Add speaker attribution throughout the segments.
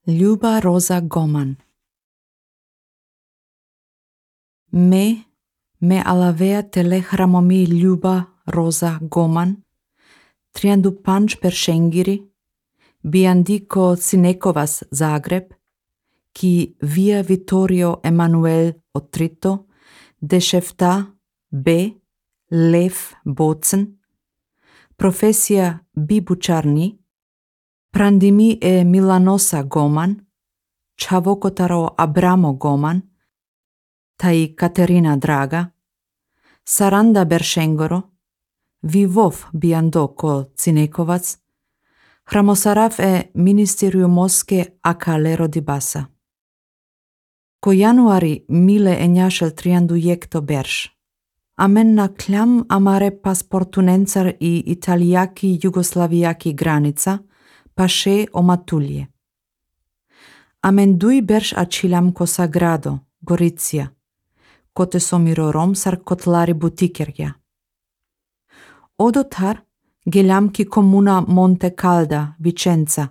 Speaker 1: Ljuba Roza Goman. Me alavea telehramomi Ljuba Roza Goman, 35 persengiri, Biandico Cinekovas Zagreb, ki via Vittorio Emanuel Otrito, dešefta B. Lev Bocen, profesija bibučarni, Prandimi e Milanosa Goman, Čavokotaro Abramo Goman, tai Katerina Draga, Saranda Beršengoro, Vivov Biandoko Cinekovac, Hramosarav e Ministeriu Moske Akalero Dibasa. Ko januari mile enjašel triandu jekto berš. Amen na kljam amare pasportunencar i italijaki jugoslavijaki granica, pa še o matulje. Amen dui berš ačilam ko sagrado, Goricija, kote somiro romsar kotlari butikerja. Odotar geljam ki komuna Monte Calda, Vicenza,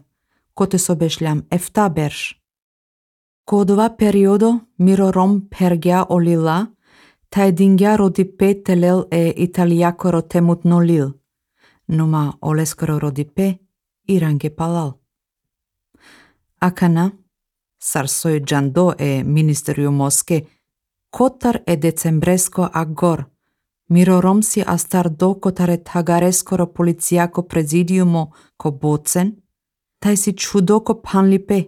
Speaker 1: kote sobešljam efta berš. Kodova periodo miro rom pergja olila, tai dingja rodi pe telel e italiakoro temut nolil, numa oleskoro rodi pe irange palal. Akana, sarsoj džando e Ministeriu Moske, kotar e decembresko agor, miro romsi astar do kotare tagareskoro policiako prezidiumo ko bocen, tai si čudoko panli pe.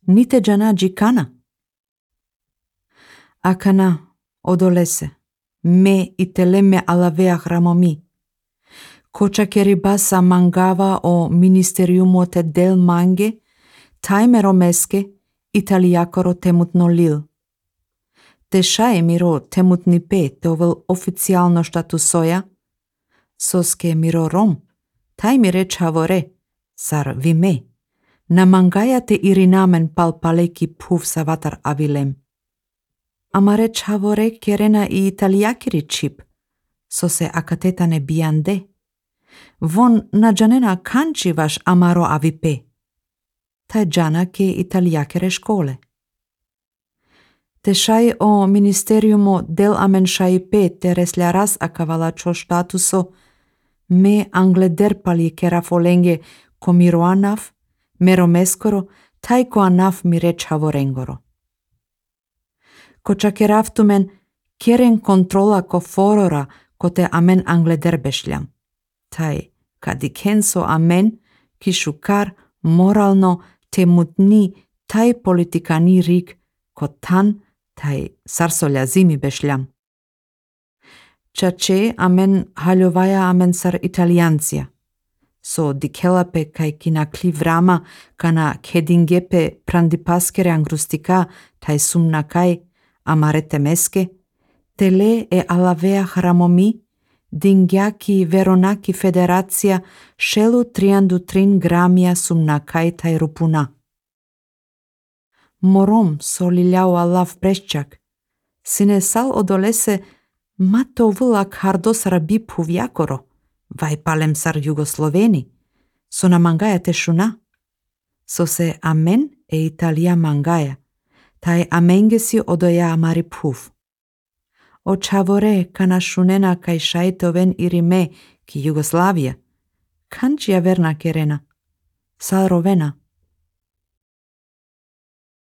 Speaker 1: Nite džana džikana. Akana, odolese, me itele me alavea hramomi. Koča keribasa mangava o ministeriumo te del mange, taime romeske italiakoro temut nolil. Te šaje miro temut ni pe tovel oficialno štatusoja, soske miro rom, taj mi reč havore, sar vi me, na mangaja te irinamen palpaleki puv savatar avilem. Amare havore kerena i italiakiri čip, so se akatetane biande. Von na džanena kanči vaš amaro avipe. Taj džana ke italiakere škole. Te šaj o ministeriumo del amen šaj pe te resljaras akavala čo štatuso me anglederpali kera folenge komiro anaf, mero meskoro, taj ko anaf mi reč havorengoro. Ko čakeraftumen keren kontrola ko forora ko te amen anglederbešljam. Tai kadikenso amen ki šukar moralno te mutni taj politikani rik ko tan taj sarsolja zimi bešljam. Čače amen haljovaja amen sar italijancija. So dikelape kaj kinakli vrama kana kedingepe prandipaskere angrustika taj sumna kaj amarete meske, tele e alavea hramomi, dingjaki veronaki federacija šelu 33 gramia sumna kaj taj rupuna. Morom soliljao alav breščak, sine sal odolese mato vulak hardos rabi puvjakoro, vaj palem sar Jugosloveni, so na mangaja tešuna. So se amen e Italija mangaja, taj amengesi odoja amari puv. O čavore kana šunena kaj šajtoven irime ki Jugoslavija, kančija verna kerena, sal rovena.